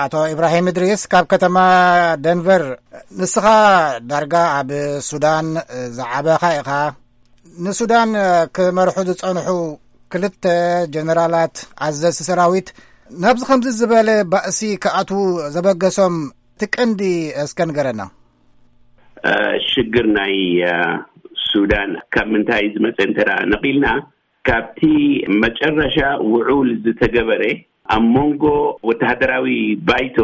ኣቶ ኢብራሂም እድሪስ ካብ ከተማ ደንቨር። ንስኻ ዳርጋ ኣብ ሱዳን ዝዓበኻ ኢኻ። ንሱዳን ክመርሑ ዝጸንሑ ክልተ ጀነራላት ኣዘዝቲ ሰራዊት ናብዚ ከምዚ ዝበለ ባእሲ ክኣትዉ ዘበገሶም እቲ ቀንዲ እስከ ንገረና። ሽግር ናይ ሱዳን ካብ ምንታይ ዝመጸ እንተ ነቒልና፣ ካብቲ መጨረሻ ውዑል ዝተገበረ ኣብ መንጎ ወተሃደራዊ ባይቶ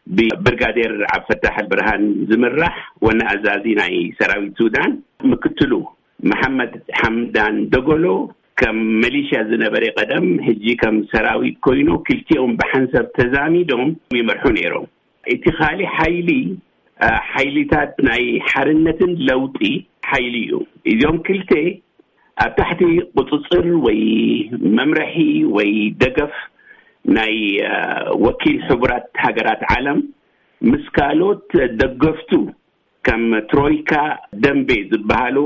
ብብርጋዴር ዓብፈታሕ ኣልብርሃን ዝምራሕ ዋና ኣዛዚ ናይ ሰራዊት ሱዳን፣ ምክትሉ መሓመድ ሓምዳን ደጎሎ፣ ከም መሊሽያ ዝነበረ ቀደም፣ ሕጂ ከም ሰራዊት ኮይኑ፣ ክልቲኦም ብሓንሳብ ተዛሚዶም ይመርሑ ነይሮም። እቲ ካሊ ሓይሊ፣ ሓይሊታት ናይ ሓርነትን ለውጢ ሓይሊ እዩ። እዚኦም ክልተ ኣብ ታሕቲ ቁፅፅር ወይ መምርሒ ወይ ደገፍ ናይ ወኪል ሕቡራት ሃገራት ዓለም ምስ ካልኦት ደገፍቱ ከም ትሮይካ ደንቤ ዝበሃሉ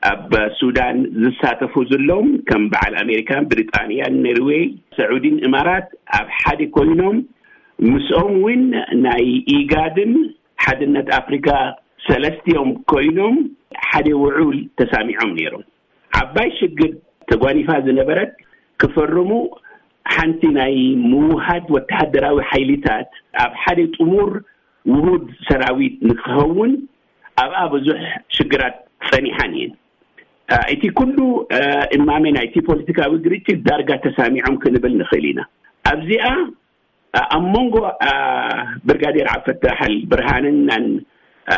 ኣብ ሱዳን ዝሳተፉ ዘለዎም ከም በዓል ኣሜሪካን ብሪጣንያን ኖርዌይ ስዑዲን እማራት ኣብ ሓደ ኮይኖም ምስኦም እውን ናይ ኢጋድን ሓድነት ኣፍሪካ ሰለስቲኦም ኮይኖም ሓደ ውዑል ተሳሚዖም ነይሮም። ዓባይ ሽግር ተጓኒፋ ዝነበረት ክፈርሙ ሓንቲ ናይ ምውሃድ ወተሃደራዊ ሓይሊታት ኣብ ሓደ ጥሙር ውሁድ ሰራዊት ንክኸውን ኣብኣ ብዙሕ ሽግራት ጸኒሓን እየን። እቲ ኩሉ እማመ ናይቲ ፖለቲካዊ ግርጭት ዳርጋ ተሳሚዖም ክንብል ንኽእል ኢና። ኣብዚኣ ኣብ መንጎ ብርጋዴር ዓብፈታሕ ኣልብርሃንን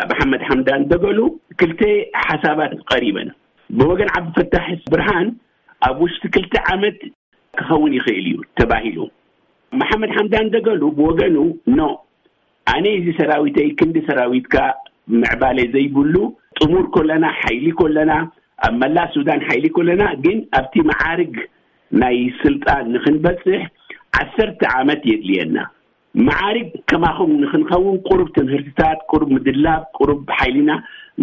መሓመድ ሓምዳን ደገሉ ክልተ ሓሳባት ቀሪበን። ብወገን ዓብፈታሕ ብርሃን ኣብ ውሽጢ ክልተ ዓመት ክኸውን ይኽእል እዩ ተባሂሉ። መሓመድ ሓምዳን ደገሉ ብወገኑ፣ ኖ፣ ኣነ እዚ ሰራዊተይ ክንዲ ሰራዊትካ ምዕባለ ዘይብሉ፣ ጥሙር ኮለና፣ ሓይሊ ኮለና፣ ኣብ መላእ ሱዳን ሓይሊ ኮለና፣ ግን ኣብቲ መዓርግ ናይ ስልጣን ንክንበፅሕ ዓሰርተ ዓመት የድልየና። መዓርግ ከማኹም ንክንኸውን ቁሩብ ትምህርትታት፣ ቁሩብ ምድላብ፣ ቁሩብ ሓይሊና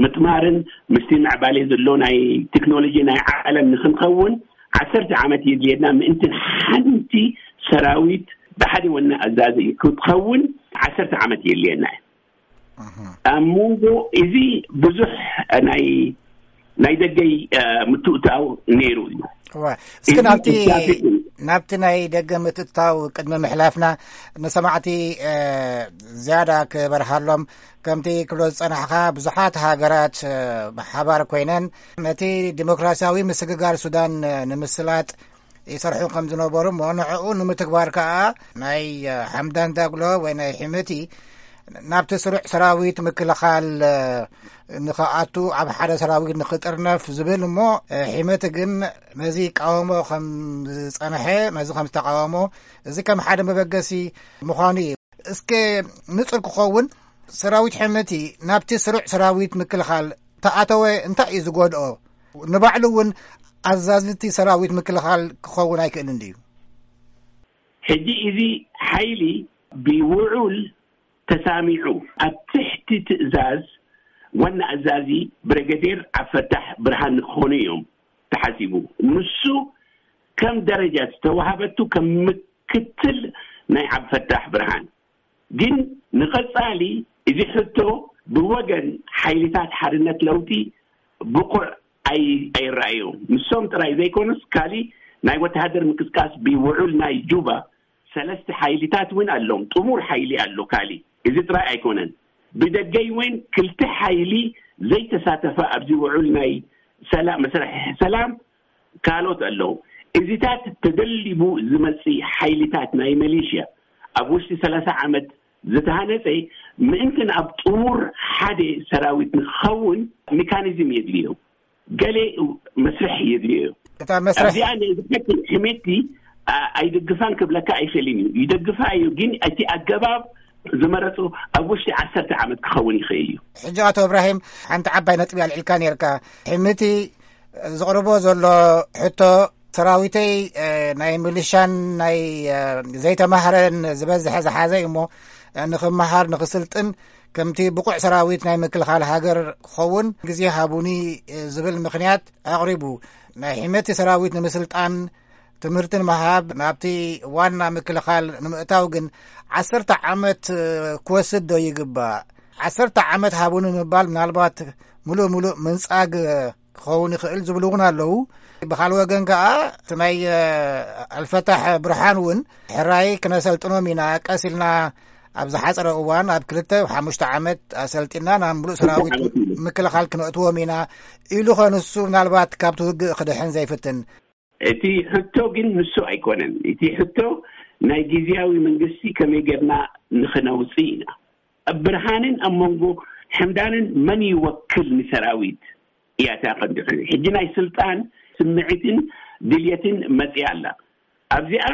ምጥማርን ምስቲ ምዕባለ ዘሎ ናይ ቴክኖሎጂ ናይ ዓለም ንክንኸውን ዓሰርተ ዓመት የድልየና። ምእንትን ሓንቲ ሰራዊት ብሓደ ወና ኣዛዚ ክትኸውን ዓሰርተ ዓመት የድልየና እዩ። ኣብ መንጎ እዚ ብዙሕ ናይ ናይ ደገይ ምትእታው ነይሩ እዩ። እስኪ ናብቲ ናብቲ ናይ ደገ ምትእታው ቅድሚ ምሕላፍና ንሰማዕቲ ዝያዳ ክበርሃሎም፣ ከምቲ ክብሎ ዝጸናሕካ ብዙሓት ሃገራት ብሓባር ኮይነን ነቲ ዲሞክራሲያዊ ምስግጋር ሱዳን ንምስላጥ ይሰርሑ ከም ዝነበሩ እሞ ንዕኡ ንምትግባር ከኣ ናይ ሓምዳን ዳግሎ ወይ ናይ ሒመቲ ናብቲ ስሩዕ ሰራዊት ምክልኻል ንኽኣቱ ኣብ ሓደ ሰራዊት ንኽጥርነፍ ዝብል እሞ ሒመቲ ግን ነዚ ይቃወሞ ከም ዝጸንሐ ነዚ ከም ዝተቃወሞ እዚ ከም ሓደ መበገሲ ምዃኑ እዩ። እስከ ንጹር ክኸውን ሰራዊት ሒመቲ ናብቲ ስሩዕ ሰራዊት ምክልኻል ተኣተወ እንታይ እዩ ዝጎድኦ? ንባዕሉ እውን ኣዛዝቲ ሰራዊት ምክልኻል ክኸውን ኣይክእልን ድዩ? ሕጂ እዚ ሓይሊ ብውዑል ተሳሚዑ ኣብ ትሕቲ ትእዛዝ ዋና ኣዛዚ ብረገዴር ዓብፈታሕ ብርሃን ንክኾኑ እዮም ተሓሲቡ። ንሱ ከም ደረጃ ዝተዋሃበቱ ከም ምክትል ናይ ዓብፈታሕ ብርሃን ግን ንቐጻሊ እዚ ሕቶ ብወገን ሓይልታት ሓርነት ለውጢ ብቑዕ ኣይረኣዮም። ንሶም ጥራይ ዘይኮኑስ ካሊ ናይ ወተሃደር ምንቅስቃስ ብውዑል ናይ ጁባ ሰለስተ ሓይልታት እውን ኣሎም። ጥሙር ሓይሊ ኣሎ ካሊ። እዚ ጥራይ ኣይኮነን። ብደገይ እውን ክልተ ሓይሊ ዘይተሳተፈ ኣብዚ ውዑል ናይ ሰላም መስርሒ ሰላም ካልኦት ኣለዉ። እዚታት ተደሊቡ ዝመጽእ ሓይልታት ናይ መሌሽያ ኣብ ውሽጢ ሰላሳ ዓመት ዝተሃነጸ ምእንትን ኣብ ጥሙር ሓደ ሰራዊት ንክኸውን ሜካኒዝም የድልዮ። ገሌ መስርሕ የድልዮ። እታ መስርሕ ኣብዚኣ ናይ ብሓቂ ሕሜቲ ኣይድግፋን ክብለካ ኣይኽእልን እዩ። ይደግፋ እዩ፣ ግን እቲ ኣገባብ ዝመረጹ ኣብ ውሽጢ ዓሰርተ ዓመት ክኸውን ይኽእል እዩ። ሕጂ ኣቶ እብራሂም ሓንቲ ዓባይ ነጥቢ ኣልዒልካ ነርካ። ሕምቲ ዘቕርቦ ዘሎ ሕቶ ሰራዊተይ ናይ ሚሊሻን ናይ ዘይተማህረን ዝበዝሐ ዝሓዘ እዩ እሞ ንኽመሃር ንኽስልጥን ከምቲ ብቑዕ ሰራዊት ናይ ምክልኻል ሃገር ክኸውን ግዜ ሃቡኒ ዝብል ምኽንያት ኣቕሪቡ። ናይ ሕመቲ ሰራዊት ንምስልጣን ትምህርትን ምሃብ ናብቲ ዋና ምክልኻል ንምእታው ግን ዓሰርተ ዓመት ክወስድ ዶ ይግባእ? ዓሰርተ ዓመት ሃቡኒ ምባል ምናልባት ምሉእ ምሉእ ምንጻግ ክኸውን ይኽእል ዝብሉ እውን ኣለዉ። ብኻልእ ወገን ከኣ እቲ ናይ ኣልፈታሕ ብርሃን እውን ሕራይ ክነሰልጥኖም ኢና፣ ቀስ ኢልና ኣብ ዝሓፀረ እዋን ኣብ ክልተ ሓሙሽተ ዓመት ኣሰልጢና ናብ ምሉእ ሰራዊት ምክልኻል ክነእትዎም ኢና ኢሉ ኸ ንሱ ምናልባት ካብቲ ውግእ ክድሕን ዘይፍትን? እቲ ሕቶ ግን ንሱ ኣይኮነን። እቲ ሕቶ ናይ ግዝያዊ መንግስቲ ከመይ ጌርና ንኽነውፅእ ኢና። ኣብ ብርሃንን ኣብ መንጎ ሕምዳንን መን ይወክል ንሰራዊት እያ እታ ቀንዲ ሕቶ። ሕጂ ናይ ስልጣን ስምዒትን ድልየትን መፅያ ኣላ። ኣብዚኣ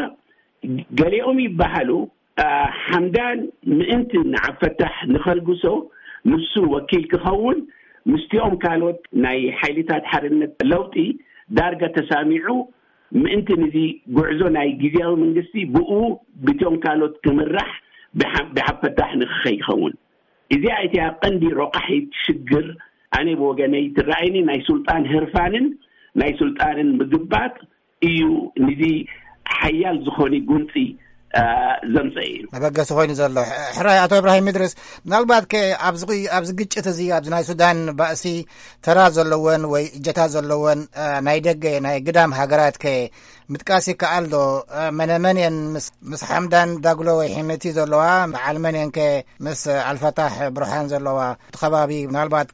ገሊኦም ይበሃሉ፣ ሓምዳን ምእንቲ ንዓብፈታሕ ንኸልግሶ ንሱ ወኪል ክኸውን ምስቲኦም ካልኦት ናይ ሓይልታት ሓርነት ለውጢ ዳርጋ ተሳሚዑ ምእንቲ ንዚ ጉዕዞ ናይ ግዝያዊ መንግስቲ ብኡ ብቶም ካልኦት ክምራሕ ብሓ- ብሓፈታሕ ንክኸይኸውን እዚኣ እቲያ ቀንዲ ሮቃሒት ሽግር ኣነ ብወገነይ ትረኣይኒ ናይ ሱልጣን ህርፋንን ናይ ሱልጣንን ምግባጥ እዩ ንዚ ሓያል ዝኾነ ጉንፂ ዘምፀ እዩ። መበገሲ ኮይኑ ዘሎ ሕራይ ኣቶ እብራሂም ምድርስ ምናልባት ከ ኣብዚ ኣብዚ ግጭት እዚ ኣብዚ ናይ ሱዳን ባእሲ ተራ ዘለወን ወይ እጀታ ዘለወን ናይ ደገ ናይ ግዳም ሃገራት ከ ምጥቃስ ይከኣል ዶ? መነመን እየን ምስ ሓምዳን ዳግሎ ወይ ሒምቲ ዘለዋ? በዓል መን እየን ከ ምስ ኣልፈታሕ ብርሃን ዘለዋ? እቲ ከባቢ ምናልባት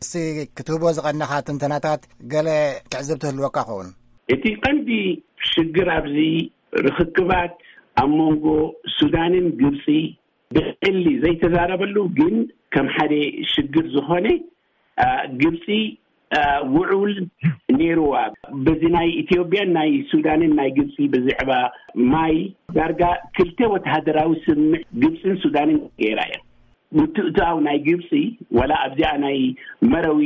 ክትህቦ ዝቐነኻ ትንተናታት ገለ ትዕዝብቲ ህልወካ ኸውን። እቲ ቀንዲ ሽግር ኣብዚ ርኽክባት ኣብ መንጎ ሱዳንን ግብፂ ብዕሊ ዘይተዛረበሉ ግን ከም ሓደ ሽግር ዝኾነ ግብፂ ውዑል ነይርዋ። በዚ ናይ ኢትዮጵያን ናይ ሱዳንን ናይ ግብፂ ብዝዕባ ማይ ዳርጋ ክልተ ወተሃደራዊ ስምምዕ ግብፅን ሱዳንን ገይራ እያ። ምትእትታው ናይ ግብፂ ዋላ ኣብዚኣ ናይ መረዊ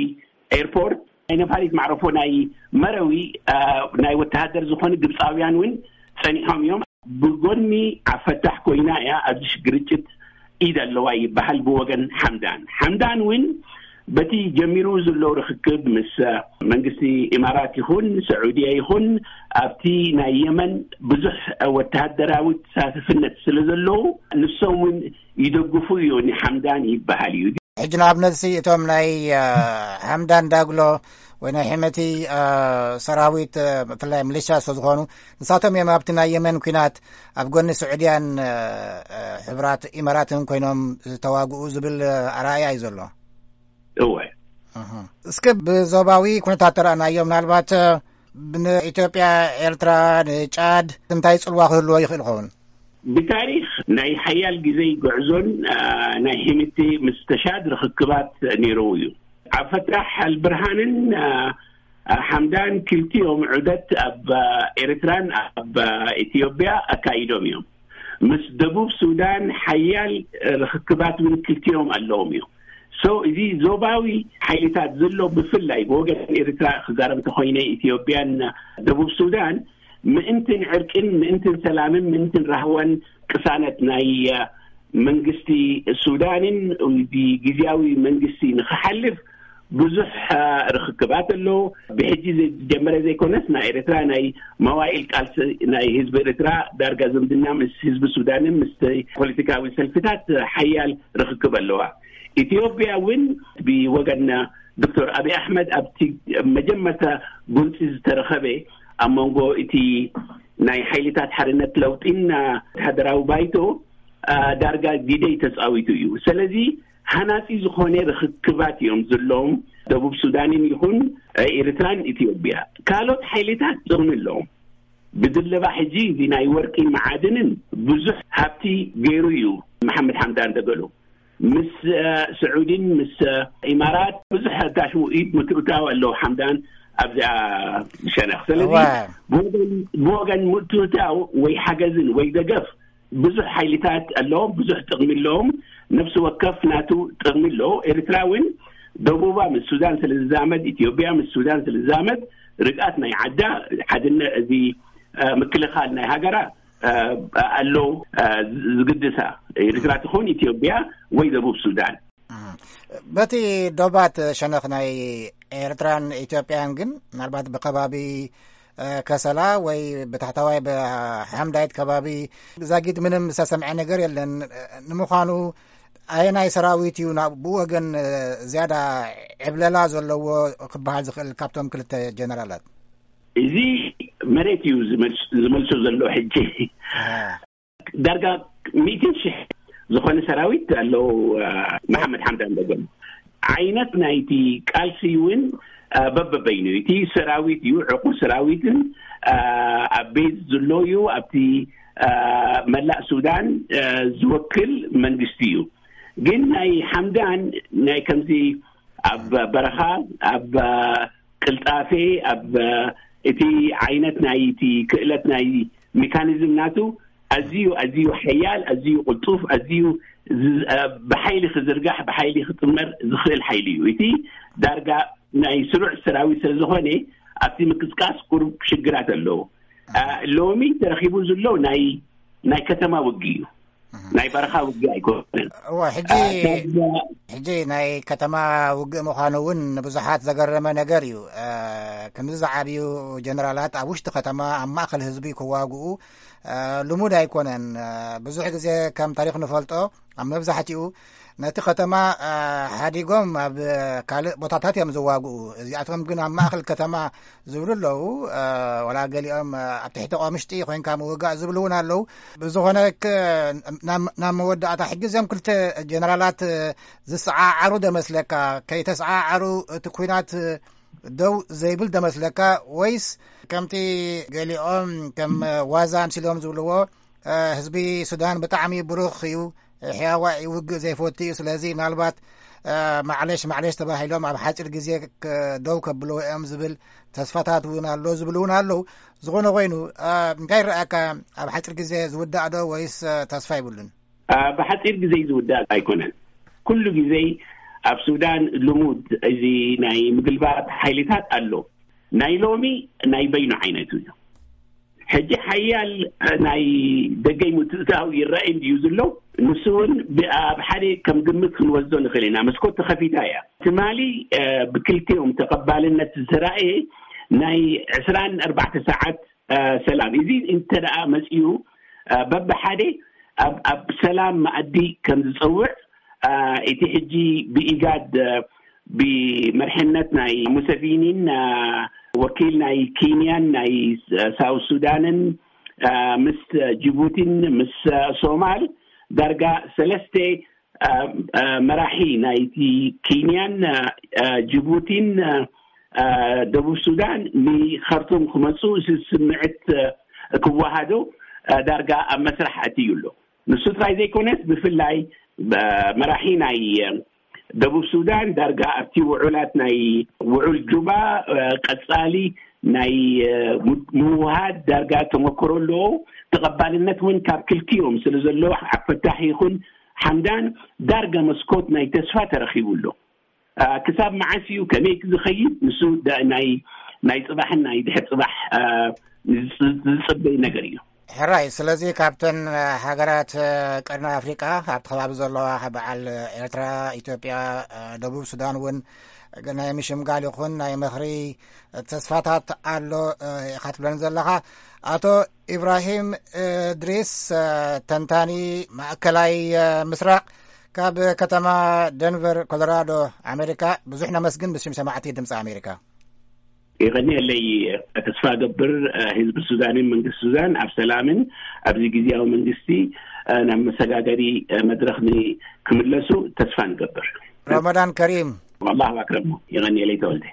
ኤርፖርት ናይ ነፋሪት ማዕረፎ ናይ መረዊ ናይ ወተሃደር ዝኾኑ ግብፃውያን እውን ፀኒሖም እዮም። ብጎኒ ዓፈታሕ ኮይና እያ ኣብዚ ግርጭት ኢድ ኣለዋ ይበሃል ብወገን ሓምዳን። ሓምዳን እውን በቲ ጀሚሩ ዘሎ ርክክብ ምስ መንግስቲ ኢማራት ይኹን ስዑድያ ይኹን ኣብቲ ናይ የመን ብዙሕ ወተሃደራዊ ተሳተፍነት ስለ ዘለዉ ንሶም እውን ይደግፉ እዩ ንሓምዳን ይበሃል እዩ። ሕጂ ንኣብነት እቶም ናይ ሓምዳን ዳግሎ ወይ ናይ ሕመቲ ሰራዊት ብፍላይ ሚሊሻ ስለ ዝኾኑ ንሳቶም እዮም ኣብቲ ናይ የመን ኩናት ኣብ ጎኒ ስዑድያን ሕቡራት ኢማራትን ኮይኖም ዝተዋግኡ ዝብል ኣረኣእያ እዩ ዘሎ። እወ። እስኪ ብዞባዊ ኩነታት ተረኣናዮ ምናልባት ንኢትዮጵያ፣ ኤርትራ፣ ንጫድ እንታይ ጽልዋ ክህልዎ ይኽእል ይኸውን? ብታሪኽ ናይ ሓያል ግዜ ጉዕዞን ናይ ሂምቲ ምስ ተሻድ ርኽክባት ነይርዎ እዩ። ዓብፈታሕ ኣልብርሃንን ሓምዳን ክልቲኦም ዑደት ኣብ ኤርትራን ኣብ ኢትዮጵያ ኣካይዶም እዮም። ምስ ደቡብ ሱዳን ሓያል ርኽክባት እውን ክልቲኦም ኣለዎም እዮም። So እዚ ዞባዊ ሓይልታት ዘሎ ብፍላይ ብወገን ኤርትራ ክዛረብ እንተኮይነ ኢትዮጵያን ደቡብ ሱዳን ምእንትን ዕርቅን ምእንትን ሰላምን ምእንትን ራህዋን ቅሳነት ናይ መንግስቲ ሱዳንን ብግዝያዊ መንግስቲ ንክሓልፍ ብዙሕ ርክክባት ኣሎ። ብሕጂ ዝጀመረ ዘይኮነስ ናይ ኤርትራ ናይ መዋኢል ቃልሲ ናይ ህዝቢ ኤርትራ ዳርጋ ዝምድና ምስ ህዝቢ ሱዳንን ምስ ፖለቲካዊ ሰልፍታት ሓያል ርክክብ ኣለዋ። ኢትዮጵያ እውን ብወገን ዶክተር ኣብይ ኣሕመድ ኣብቲ መጀመርታ ጎንፂ ዝተረኸበ ኣብ መንጎ እቲ ናይ ሓይልታት ሓርነት ለውጢን ወተሃደራዊ ባይቶ ዳርጋ ግደ ተፃዊቱ እዩ። ስለዚ ሃናፂ ዝኾነ ርክክባት እዮም ዘለዎም ደቡብ ሱዳንን ይኹን ኤርትራን ኢትዮጵያ። ካልኦት ሓይልታት ጥቕሚ ኣለዎም። ብድለባ ሕጂ እዚ ናይ ወርቂ መዓድንን ብዙሕ ሃብቲ ገይሩ እዩ መሓመድ ሓምዳን ደገሎ ምስ ስዑዲን ምስ ኢማራት ብዙሕ ታሽሙ ኢድ ምትእታው ኣለዉ ሓምዳን ኣብዚኣ ሸነኽ። ስለዚ ብወገን ምትእታው ወይ ሓገዝን ወይ ደገፍ ብዙሕ ሓይልታት ኣለዎም፣ ብዙሕ ጥቕሚ ኣለዎም። ነፍሲ ወከፍ ናቱ ጥቕሚ ኣለዎ። ኤርትራ እውን ደቡባ ምስ ሱዳን ስለ ዝዛመድ፣ ኢትዮጵያ ምስ ሱዳን ስለ ዝዛመድ ርግኣት ናይ ዓዳ ሓድነ እዚ ምክልኻል ናይ ሃገራ ኣሎ ዝግድሳ ኤርትራ ትኾን ኢትዮጵያ ወይ ደቡብ ሱዳን። በቲ ዶባት ሸነኽ ናይ ኤርትራን ኢትዮጵያን ግን ምናልባት ብከባቢ እ፣ ከሰላ ወይ ብታሕታዋይ ብሓምዳይት ከባቢ ዛጊት ምንም ዝተሰምዐ ነገር የለን። ንምዃኑ ኣየናይ ሰራዊት እዩ ናብ ብኡ ወገን፣ እ፣ ዝያዳ ዕብለላ ዘለዎ ክበሃል ዝኽእል ካብቶም ክልተ ጀነራላት? እዚ መሬት እዩ ዝመልስ-፣ ዝመልሶ ዘሎ ሕጂ። እ። ዳርጋ ሚእትን ሽሕ ዝኾነ ሰራዊት ኣለዉ። እ፣ መሓመድ ሓምዳን ደገም ዓይነት ናይቲ ቃልሲ እውን፣ እ፣ በበበይኑ እቲ ሰራዊት እዩ፣ ዕቑር ሰራዊትን፣ እ፣ ኣብ ቤዝ ዘሎ እዩ፣ ኣብቲ፣ እ፣ መላእ ሱዳን፣ እ፣ ዝወክል መንግስቲ እዩ። ግን ናይ ሓምዳን ናይ ከምዚ ኣብ በረኻ፣ ኣብ ቅልጣፌ፣ ኣብ እቲ ዓይነት ናይ እቲ ክእለት ናይ ሜካኒዝም ናቱ ኣዝዩ፣ ኣዝዩ ሓያል፣ ኣዝዩ ቅልጡፍ፣ ኣዝዩ ዝ-፣ ብሓይሊ ክዝርጋሕ፣ ብሓይሊ ክጥመር ዝኽእል ሓይሊ እዩ። እቲ ዳርጋ ናይ ስሩዕ ሰራዊት ስለ ዝኾነ ኣብቲ ምቅስቃስ ቁሩብ ሽግራት ኣለዎ። አ፣ ሎሚ ተረኺቡ ዘሎ ናይ፣ ናይ ከተማ ውግእ እዩ። ናይ በረኻ ውግእ ኣይኮነን። እወ፣ ሕጂ፣ አ፣ ሕጂ ናይ ከተማ ውግእ ምዃኑ እውን ንብዙሓት ዘገረመ ነገር እዩ። አ፣ ከምዚ ዝዓብዩ ጀነራላት ኣብ ውሽጢ ከተማ ኣብ ማእከል ህዝቢ ክዋግኡ፣ አ፣ ልሙድ ኣይኮነን። አ፣ ብዙሕ ግዜ ከም ታሪኽ ንፈልጦ ኣብ መብዛሕትኡ ነቲ ከተማ፣ አ፣ ሓዲጎም ኣብ ካልእ ቦታታት እዮም ዝዋግኡ። እዚኣቶም ግን ኣብ ማእከል ከተማ ዝብሉ ኣለዉ። አ፣ ወላ ገሊኦም፣ አ፣ ኣብ ትሕቲ ቆምሽጢ ኮይንካ ምውጋእ ዝብሉ እውን ኣለዉ። ብዝኾነ ክ-፣ ናብ፣ ናብ መወዳእታ ሕጂ እዚኦም ክልተ ጀነራላት፣ እ፣ ዝሰዓዓሩ ደመስለካ? ከይተሰዓዓሩ እቲ ኲናት ደው ዘይብል ደመስለካ? ወይስ ከምቲ ገሊኦም ከም ዋዛ ኣምሲሎም ዝብልዎ፣ እ፣ ህዝቢ ሱዳን ብጣዕሚ ብሩኽ እዩ፣ ሕያዋይ ውግእ ዘይፈቱ እዩ፣ ስለዚ ምናልባት፣ እ፣ ማዕለሽ ማዕለሽ ተባሂሎም ኣብ ሓፂር ግዜ ክ-፣ ደው ከብልዎ እዮም ዝብል ተስፋታት እውን ኣሎ ዝብሉ እውን ኣለዉ። ዝኾነ ኮይኑ፣ እ፣ እንታይ ይረኣካ? ኣብ ሓፂር ግዜ ዝውዳእ ዶ ወይስ፣ እ፣ ተስፋ ይብሉን? አ፣ ብሓጺር ግዜ ዝውዳእ ኣይኮነን። ኩሉ ግዜ ኣብ ሱዳን ልሙድ እዚ ናይ ምግልባጥ ሓይልታት ኣሎ። ናይ ሎሚ ናይ በይኑ ዓይነቱ እዩ። ሕጂ ሓያል ናይ ደገይ ምትእትታው ይረኣይ እንድዩ ዝሎ። ንሱ እውን ብ-፣ ኣብ ሓደ ከም ግምት ክንወስዶ ንኽእል ኢና። መስኮት ተኸፊታ እያ። ትማሊ፣ እ፣ ብክልቲኦም ተቐባልነት ዝተራእየ ናይ ዕስራን ኣርባዕተ ሰዓት እ፣ ሰላም። እዚ እንተ ደኣ መጺኡ፣ እ፣ በብሓደ ኣብ፣ ኣብ ሰላም መኣዲ ከም ዝጸውዕ፣ እ፣ እቲ ሕጂ ብኢጋድ፣ እ፣ ብመርሕነት ናይ ሙሰቪኒን፣ እ፣ ወኪል ናይ ኬንያን ናይ ስ-፣ ሳውት ሱዳንን፣ እ፣ ምስ ጅቡቲን ምስ ሶማል ዳርጋ ሰለስተ እ፣ እ፣ መራሒ ናይቲ ኬንያን፣ እ፣ እ፣ ጅቡቲን፣ እ፣ እ፣ ደቡብ ሱዳን ንኸርቱም ክመጹ እዚ ስምዕት፣ እ፣ ክወሃዶ፣ እ፣ ዳርጋ ኣብ መስራሕ ኣትዩ ኣሎ። ንሱ ጥራይ ዘይኮነስ ብፍላይ፣ እ፣ መራሒ ናይ፣ እ፣ ደቡብ ሱዳን ዳርጋ ኣብቲ ውዑላት ናይ ውዑል ጁባ፣ እ፣ ቀጻሊ ናይ፣ እ፣ ም-፣ ምውሃድ ዳርጋ ተመክሮ ኣለዎ። ተቐባልነት እውን ካብ ክልቲኦም ስለ ዘለዎ ኣብ ፈታሒ ይኹን ሓምዳን ዳርጋ መስኮት ናይ ተስፋ ተረኺቡ ኣሎ። አ፣ ክሳብ መዓስ እዩ ከመይ ዝኸይድ ንሱ ዳ-፣ ናይ፣ ናይ ጽባሕን ናይ ድሕር ጽባሕ፣ አ፣ ዝጽ-፣ ዝጽበይ ነገር እዩ። ሕራይ፣ ስለዚ ካብተን፣ አ፣ ሃገራት፣ አ፣ ቀርኒ ኣፍሪቃ ኣብቲ ከባቢ ዘለዋ በዓል ኤርትራ፣ ኢትዮጵያ፣ አ፣ ደቡብ ሱዳን እውን ናይ ምሽምጋል ይኹን ናይ ምኽሪ ተስፋታት ኣሎ፣ አ፣ ኢኻ ትብለኒ ዘለኻ። ኣቶ ኢብራሂም እድሪስ፣ አ፣ ተንታኒ ማእከላይ፣ አ፣ ምስራቕ፣ ካብ ከተማ ደንቨር ኮሎራዶ ኣሜሪካ ብዙሕ ነመስግን ብሽም ሰማዕቲ ድምፂ ኣሜሪካ። የቐንየለይ። ተስፋ እገብር፣ እ፣ ህዝቢ ሱዳንን መንግስቲ ሱዳን ኣብ ሰላምን ኣብዚ ግዜያዊ መንግስቲ፣ እ፣ ናብ መሰጋገሪ፣ እ፣ መድረኽ ን-፣ ክምለሱ ተስፋ ንገብር። ረመዳን ከሪም። ኣላሁ ኣክረም። የቐንየለይ ተወልደ።